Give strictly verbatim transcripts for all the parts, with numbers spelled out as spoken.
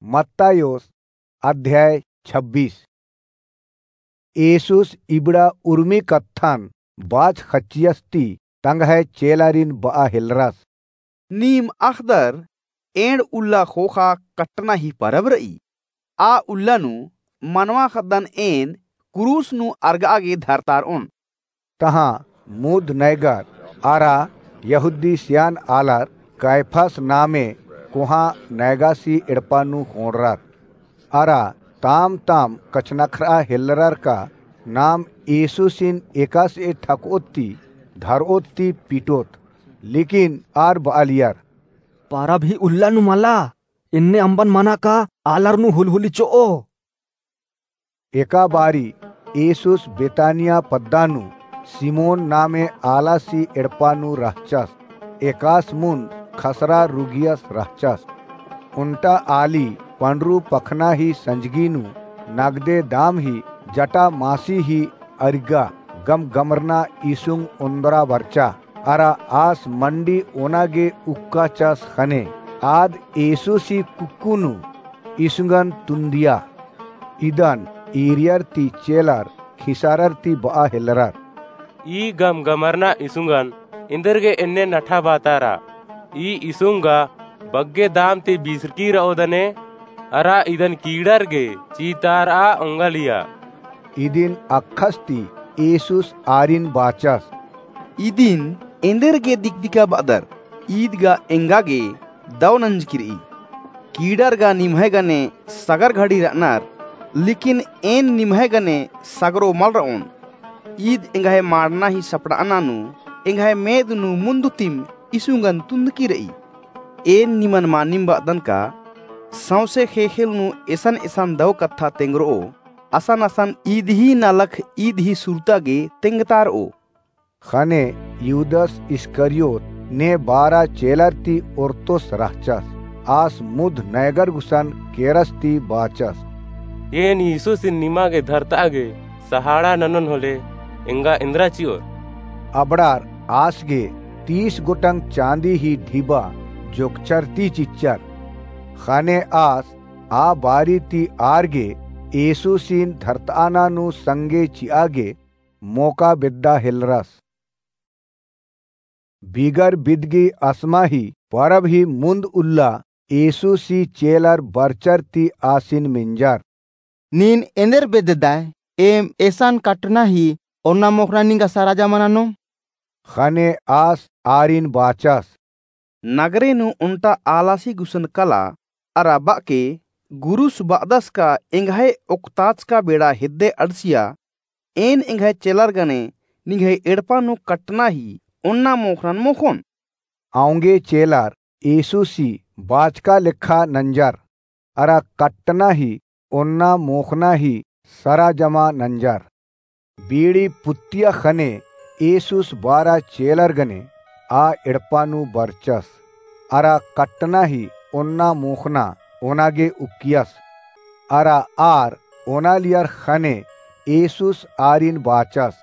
मत्तायोस अध्याय छब्बीस। येसुस इबड़ा उर्मी कत्थन बाचखच्चियस ती तंग्है चेलारिन बआ हेलरस। नीम अख़दर एंड़ उल्ला ख़ोख़ा कट्टना ही परब रई। आ उल्ला नू मनवा ख़द्दन एन क्रूस नू अरगआ गे धरतारओन। तहाँ मुन्द नैगर अरा यहूदी सियान आलर कायफस नामे कोहाँ नैगासी एड़पा नू ख़ोंड़रर। अरा ताम ताम कछनख्रआ हेलरर का नाम येसुसिन एकासे ठकओत ती धरओत ती पिटओत, लेकिन आर बआलियर, परब ही उल्ला नू मला, एन्ने अम्बन मना का आलर नू हुलहुली चिओ। एका बारी येसुस बेतानिया पद्दा नू सिमोन नामे आलासी एड़पा नू रहचस। एकास मुन्द खसरा रुगियस रहचस। ओन्टा आली पंडरू पखना ही संजगी नू नगदे दाम ही जटा मासी ही अरिगा गमगमरना इसुंग ओन्दरा बरचा। अरा आस मंडी ओना गे उक्काचस ख़ने आद येसुसी कुक्कु नू इसुंगन तुन्दिया। इदन ईरियर ती चेलर खिसारर ती बआ हेलरर, ई गमगमरना इसुंगन एन्देरगे एन्ने नठा बातारा? ई इसुंग गा बग्गे दाम ती बिसरकी रओदने, अरा इदन कीड़र गे चीतारआ ओंगालिया। इदिन अक्खस ती येसुस आरिन बाचस, इदिन एन्देरगे दिकदिका बअदर? ईद गा एंगा गे दौ नंजकी रई। कीड़र गा निम्है गने सगर घड़ी रअनर, लेकिन एन निम्है गने सगरो मल रओन। ईद एंग्है माड़ना ही सपड़ाअना नू एंग्है मेद नू मुन्दुतिम इसुंगन तुन्दकी रई। एन निमन मानिम बअदन का सौंसे ख़ेख़ेल नू एसन एसन दौ कत्था तेंगरओ, असन असन ईद ही नलख ईद ही सुरता गे तेंगतारओ। ख़ने युदस इस्करियोत ने बारा चेलर ती ओर्तोस रहचस। आस मुन्द नैगर गुसन केरस ती बाचस, एन येसुसिन निमा गे धरतआ गे सहाड़ा ननोन होले एंगा एन्दरा चिओर? अबड़ार आस गे तीस गोटंग चाँदी ही ढिबा जोगचर ती चिच्चर। ख़ने आस आ बारी ती आर गे येसुसिन धरतआना नू संगे चिआ गे मोका बेद्दा हेलरस। बिगर बिदगी असमा ही परब ही मुन्द उल्ला येसुसी चेलर बरचर ती आसिन मेंजर, नीन एन्देर बेद्ददय? एम एसन कट्टना ही ओन्ना मोख़ना निंगा सरा जमा ननोम। ख़ने आस आरिन बाचस, नगरे नू ओन्टा आलासी गुसन कला, अरा बअके गुरुस बअदस का एंग्है ओक्ताचका बेड़ा हेद्दे अंड़सिया, एन एंग्है चेलर गने निंग्है एड़पा नू कट्टना ही ओन्ना मोख़नन मोख़ोन। औंगे चेलर येसुसी बाचका लेखा नंजर, अरा कट्टना ही ओन्ना मोख़ना ही सरा जमा नंजर। बीड़ी पुत्तिया ख़ने येसुस बारा चेलर गने आ एड़पा नू बरचस, अरा कट्टना ही ओन्ना मोख़ना ओना गे उक्कियस। अरा आर ओनालियर ख़ने येसुस आरिन बाचस,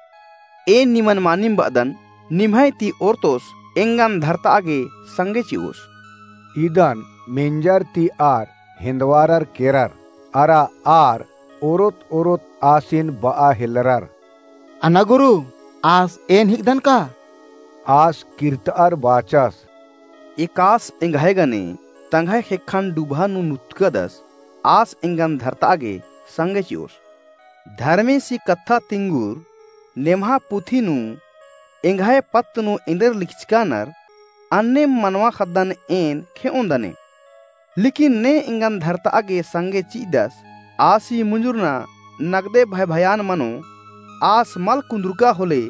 एन निमन मानिम बअदन, निम्है ती ओर्तोस एंगन धरतआ गे संगे चिओस। इदन मेंजर ती आर हेन्दवारर केरर, अरा आर ओरोत ओरोत आसिन बआ हेलरर, अना गुरु, आस एन हिकदन का? आस किर्तअर बाचस, एकास एंग्है गने तंग्है ख़ेक्खन डुभा नू नुतकदस, आस एंगन धरतआ गे संगे चिओस। धर्मेसी कत्था तिंगुर नेम्हा पुथी नू एंग्है पत्त नू एन्देर लिखचकानर, अन्नेम मनवा ख़द्दन एन खेओन्दने। लेकिन ने एंगन धरतआ गे संगे चिअदस, आसी मुंजुरना नगदे भयभयान मनो, आस मल कुन्दुरका होले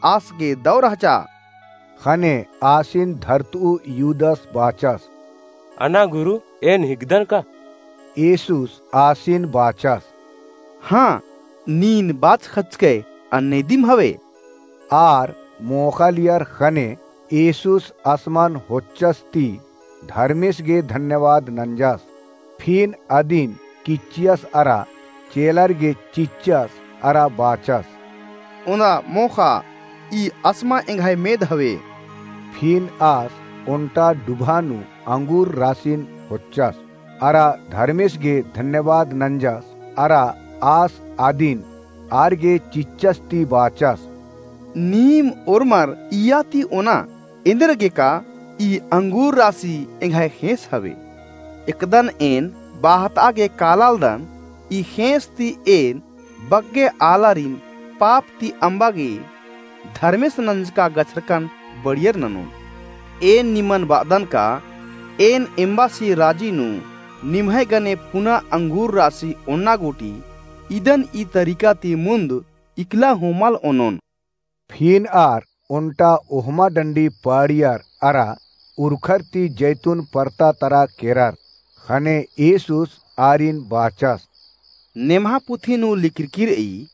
आस गे दौ रहचा। ख़ने आसिन धरतऊ युदस बाचस, अना गुरु, एन हिकदन का? येसुस आसिन बाचस, हाँ, नीन बाचखचकय, अन्ने दिम हवे। आर मोख़ालियर ख़ने येसुस असमन होच्चस ती धर्मेस गे धन्यवाद नंजस। फिन अदिन किच्चियस अरा चेलर गे चिच्चस अरा बाचस, ओन्दा मोख़ा, ई असमा एंग्है मेद हवे। फिन आस ओन्टा डुभा नू अंगूर रासिन होच्चस। अरा धर्मेस गे धन्यवाद नंजस, अरा आस आदिन आर गे चिच्चस ती बाचस, नीम ओर्मर इय्या ती ओना, एन्देरगेका ई अंगूर रासी एंग्है ख़ेंस हवे। एकदन एन बाहतआ गे कालालदन, ई ख़ेंस ती एन बग्गे आलारिन पाप ती अम्बा गे धर्मेस नंजका गछरकन बड़ियर ननोन। एन निमन बअदन का, एन एम्बासी राजी नू निम्है गने पुना अंगूर रासी ओन्ना गूटी, इदन ई तरीका ती मुन्द इकला हूँ मल ओनोन। फिन आर ओन्टा ओहमा डंडी पाड़ियर अरा उरखर ती जैतून परता तरा केरर। ख़ने येसुस आरिन बाचस, नेम्हा पुथी नू लिखरकी रई,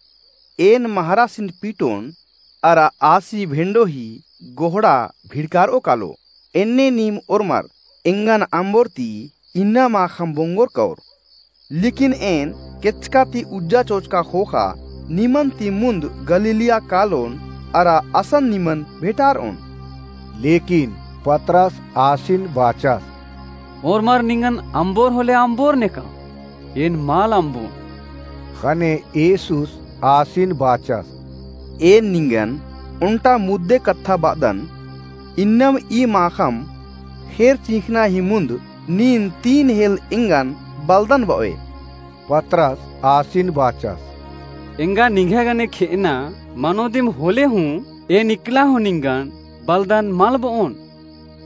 एन महरासिन पीटोन अरा आसी भेंडो ही गोहड़ा भिड़कारओ कालो। एन्ने नीम ओर्मर एंगन अम्बोर ती इन्ना माख़म बोंगोर कओर। लेकिन एन केचका ती उज्जा चोचका ख़ोख़ा निमन ती मुन्द गलीलिया कालोन अरा असन निमन भेंटारओन। लेकिन पतरस आसिन बाचस, ओर्मर निंगन अम्बोर होले अम्बोर नेका, एन मल अम्बोन। ख़ने येसुस आसिन बाचस, एन निंगन ओन्टा मुद्दे कत्था बअदन, इन्नम ई माख़म ख़ेर चिंख़ना ही मुन्द नीन तीन हेल एंगन बलदन बओय। पतरस आसिन बाचस, एंगा निंग्है गने खेअना मनो दिम होले हूँ एन इकला हूँ निंगन बलदन मल बओन।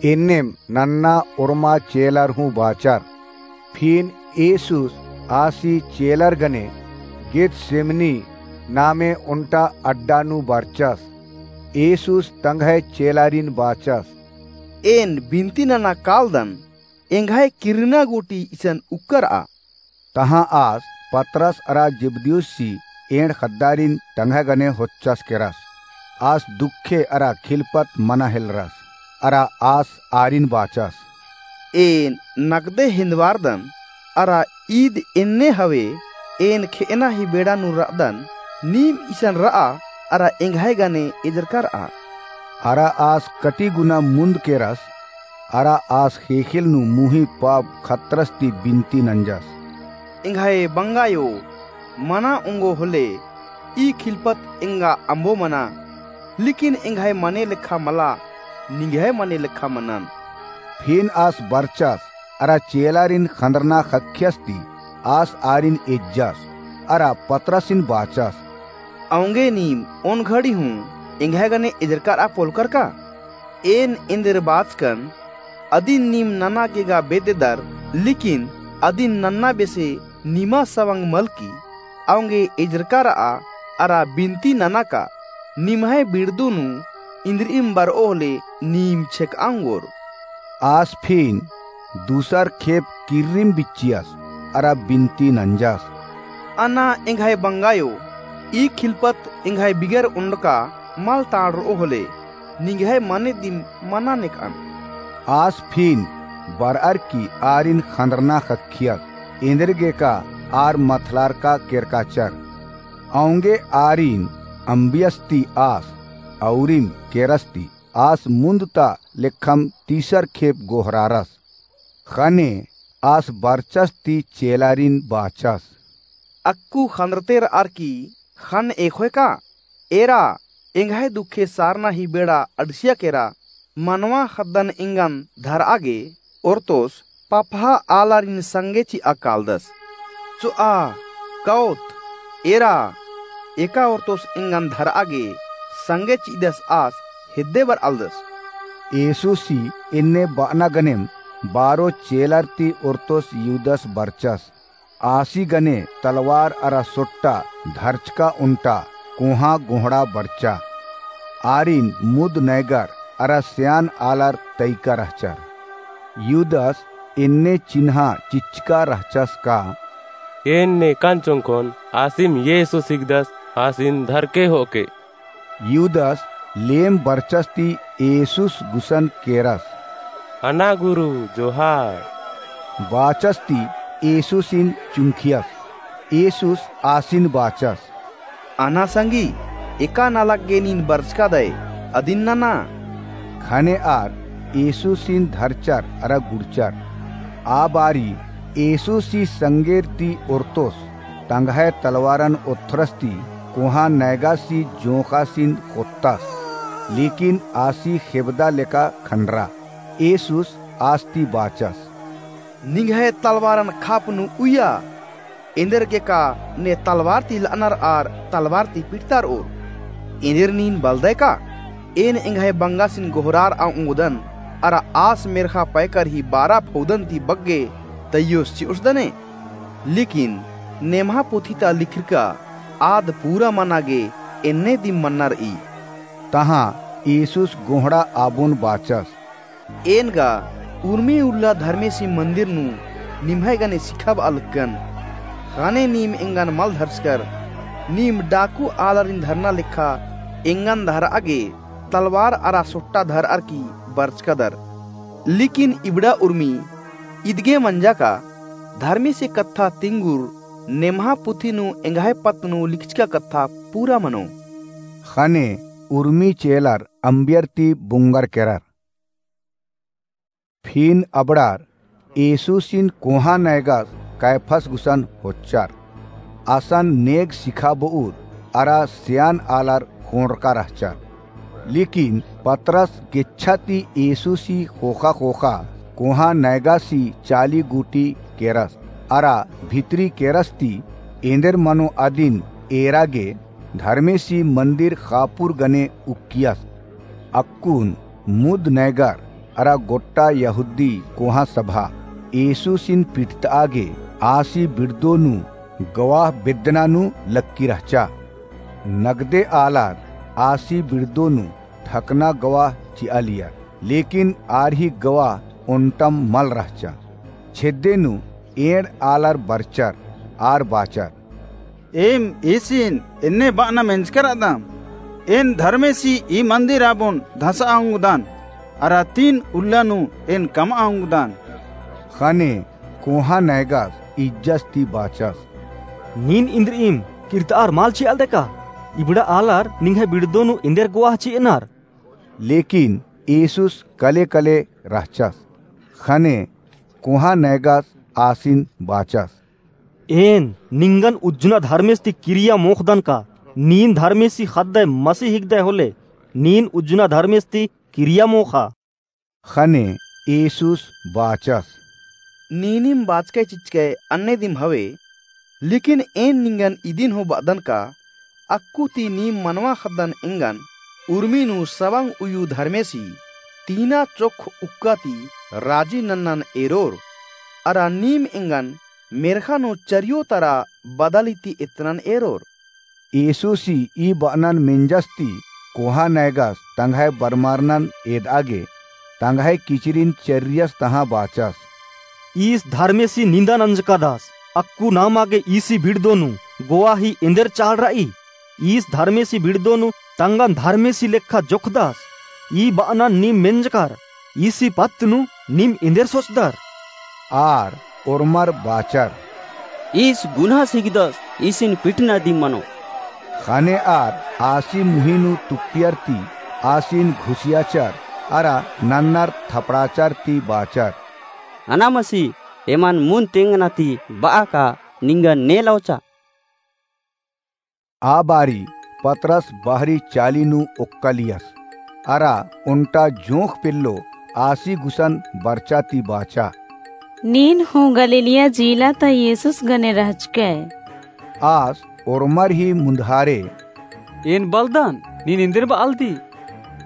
एन्नेम नन्ना ओर्मा चेलर हूँ बाचर। फिन येसुस आसी चेलर गने गेतसेमनी नामे ओन्टा अड्डा नू बरचस। येसुस तंग्है चेलारिन बाचस, एन बिनती नना कालदन, एंग्है किर्रना गूटी इसन उक्करआ। तहाँ आस पतरस अरा जेबदियुसी एंड़ ख़द्दारिन तंग्है गने होच्चस केरस। आस दुखे अरा खिलपत मना हेलरस, अरा आस आरिन बाचस, एन नगदे हेन्दवारदन, अरा ईद एन्ने हवे, एन खेअना ही बेड़ा नू रअदन, नीम इसन रआ, अरा एंग्है गने एजरका रआ। अरा आस कटी गुना मुन्द केरस, अरा आस ख़ेख़ेल नू मुही पाप खतरस ती बिनती नंजस, एंग्है बंगायो, मना ओंगो होले, ई खिलपत एंगा अम्बो मना, लेकिन एंग्है मने लेखा मला, निंग्है मने लेखा मनन। फिन आस बरचस, अरा चेलारिन ख़न्दरना ख़क्खियस ती आस आरिन एज्जस, अरा पतरसिन बाचस, औंगे नीम ओन घड़ी हूँ एंग्है गने एजरका रआ पोलकर का? एन एन्देर बाचकन, अदिन नीम नना गे गा बेद्ददर, लेकिन अदिन नन्ना बेसे निमा सवंग मलकी, औंगे एजरका रआ, अरा बिनती नना का, निम्है बिड़दू नू इन्द्रिइम बरओ होले नीम छेकआ ओंगोर। आस फिन दूसर खेप किर्रिम बिच्चियस, अरा बिनती नंजस, अना एंग्है बंगायो, ई खिलपत एंग्है बिगर ओन्डका मल ताड़रओ होले, निंग्है मने दिम मना नेकअन। आस फिन बरअर की आरिन ख़न्दरना ख़क्खियस, एन्देरगेका आर मथलारका केरकाचर। औंगे आरिन अम्बियस ती आस, औरिम केरस ती आस मुन्द ता लेखम तीसर खेप गोहरारस। ख़ने आस बरचस ती चेलारिन बाचस, अक्कु ख़न्दरते रअर की ख़न्न एख़ोय का? एरा, एंग्है दुखे सारना ही बेड़ा अंड़सिया केरा, मनवा ख़द्दन एंगन धरआ गे ओर्तोस पपहा आलारिन संगे चिआ कालदस। चोआ, कओत, एरा, एका ओर्तोस एंगन धरआ गे संगे चिदस आस हेद्दे बरआलदस। येसुसी एन्ने बअना गनेम बारो चेलर ती ओर्तोस युदस बरचस। आसी गने तलवार अरा सोट्टा धरचका ओन्टा कोहाँ गोहड़ा बरचा। आरिन मुद नैगर अरा स्यान आलर तैका रहचर। युदस एन्ने चिन्हा चिच्चका रहचस का, एन्ने कांचोंकोन आसिम येसुस हिकदस, आसिन धरके होके। युदस लेम बरचस ती येसुस गुसन केरस, अना गुरु, जोहार। बाचस ती येसुसिन चुंखियस। येसुस आसिन बाचस, अना संगी, एका नलख गे नीन बरचका दय, अदिन नना। ख़ने आर येसुसिन धरचर अरा गुड़चर। आ बारी येसुसी संगेर ती ओर्तोस तंग्है तलवारन ओथ्रस ती कोहाँ नैगासी जोंख़ासिन ख़ोत्तस, लेकिन आसी ख़ेबदा लेका खंडरा। येसुस आस ती बाचस, निंग्है तलवारन खाप नू उइया। एन्देरगेका ने तलवार ती लअनर आर तलवार ती पिटतारओर। एन्देर नीन बलदय का? एन एंग्है बंगासिन गोहरारआ ओंगदन, अरा आस मेर्ख़ा पैकर ही बारा फौदन ती बग्गे तइयोस चिओसदने। लेकिन नेम्हा पुथी ता लिखरका आद पूरा मना गे एन्ने दिम मन्ना रई। तहाँ येसुस गोहड़ा आबोन बाचस, एन गा उर्मी उल्ला धर्मेसी मंदिर नू निम्है गने सिखाबआ लक्कन। ख़ने नीम एंगन मल धरचकर, नीम डाकू आलारिन धरना लेखा एंगन धरआ गे तलवार अरा सोट्टा धरअर की बरचकादर। लेकिन इबड़ा उर्मी इदगे मंजा का धर्मेसी कत्था तिंगुर नेम्हा पुथी नू एंग्है पत्त नू लिखचका कत्था पूरा मनो। ख़ने उर्मी चेलर अम्बियर ती बुंगर केरर। फिन अबड़ार येसुसिन कोहाँ नैगस कैफस गुसन होच्चर। असन नेग सिखाबउर अरा सियान आलर ख़ोंड़रका रहचर। लेकिन पतरस गेच्छा ती येसुसी ख़ोख़ा ख़ोख़ा कोहाँ नैगासी चाली गूटी केरस अरा भितरी केरस ती एन्देर मनो अदिन एरा गे धर्मेसी मंदिर ख़ापुर गने उक्कियस। अक्कुन मुद नैगर अरा गोट्टा यहूदी कोहाँ सभा येसुसिन पिटतआ गे आसी बिड़दो नू गवाह बेद्दना नू लक्की रहचा। नगदे आलर आसी बिड़दो नू ठकना गवाह चिआलियर, लेकिन आर ही गवाह ओन्टम मल रहचा। छेद्दे नू एंड़ आलर बरचर आर बाचर, एम ईसिन एन्ने बअना मेंजकर रअदम, एन धर्मेसी ई मंदिर आबोन धसआ ओंगदन, अरा तीन उल्ला नू एन कमआ ओंगदन। ख़ने कोहाँ नैगस इज्जस ती बाचस, नीन इन्द्रिइम किर्तआर मल चिआलदय का? इबड़ा आलर निंग्है बिड़दो नू एन्देर गवाह चिअनर। लेकिन येसुस कले कले रहचस। ख़ने कोहाँ नैगस आसिन बाचस, एन निंगन उज्जना धर्मेस ती किरिया मोख़दन का? नीन धर्मेसी ख़द्दय मसीह हिकदय होले नीन उज्जना धर्मेस ती किरिया मोख़ा। ख़ने येसुस बाचस, नीनिम बाचकय चिच्चकय अन्ने दिम हवे। लेकिन एन निंगन इदिन हूँ बअदन का, अक्कु ती नीम मनवा ख़द्दन एंगन उर्मी नू सवंग उयु धर्मेसी तीना चोक्ख उक्का ती राजी नन्नन एरोर। अरा नीम एंगन मेर्ख़ा नू चरियो तरा बदली ती एतनन एरोर। येसुसी ई बअनन मेंजस ती कोहाँ नैगस तंग्है बरमारनन एदआ गे तंग्है किचरिन चर्रियस तहाँ बाचस, ईस धर्मेसी निंदन अंजकादस, अक्कु नामा गे ईसी बिड़दो नू गवाही एन्देर चाड़ रई? ईस धर्मेसी बिड़दो नू तंगन धर्मेसी लेखा जोखदस। ई बअनन नीम मेंजकर, ईसी पत्त नू नीम एन्देर सोचदर? आर ओर्मर बाचर, ईस गुन्हा सिगदस, ईसिन पिटना दिम मनो। ख़ने आर आसी मुही नू तुप्पियर ती आसिन घुसियाचर अरा नन्नर थपड़ाचर ती बाचर, अना मसी एमन मुन तेंगना ती बआ का निंगन ने लौचा। आ बारी पतरस बहरी चाली नू ओक्कालियस, अरा ओन्टा जोंख़ पेल्लो आसी गुसन बरचा ती बाचा, नीन हूँ गलीलिया जीला ता येसुस गने रहचकय। आस ओर्मर ही मुन्धारे, एन बलदन, नीन एन्देर बआलदी।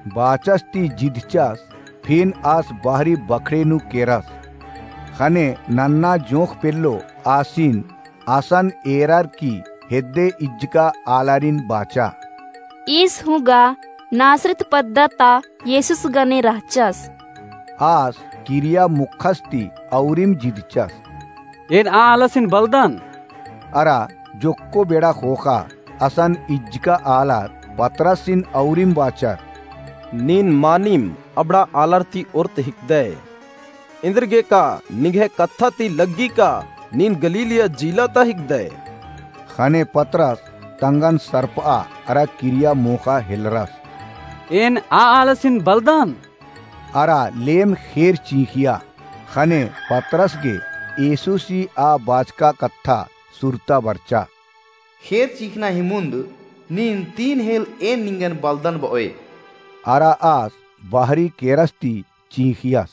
बाचस ती जिदचस, फिन आस बहरी बखड़े नू केरस। ख़ने नन्ना जोंख़ पेल्लो आसिन असन एरर की हेद्दे इज्जका आलारिन बाचा, ईस हूँ गा नासरत पद्दा ता येसुस गने रहचस। आस किरिया मोख़स ती औरिम जिदचस, एन आ आलासिन बलदन। अरा जोक्को बेड़ा ख़ोख़ा असन इज्जका आलर पतरसिन औरिम बाचर, नीन मानिम अबड़ा आलर ती ओर्त हिकदय। एन्देरगेका निंग्है कत्था ती लग्गी का नीन गलीलिया जीला ता हिकदय? ख़ने पतरस तंगन सरपआ अरा किरिया मोख़ा हेलरस, एन आ आलासिन बलदन। अरा लेम ख़ेर चींख़िया। ख़ने पतरस गे येसुसी आ बाचका कत्था सुरता बरचा। खेत चिखना ही मुन्द नीन तीन हेल एन निंगन बलदन बओय। अरा आस बाहरी केरस ती चिंखियस।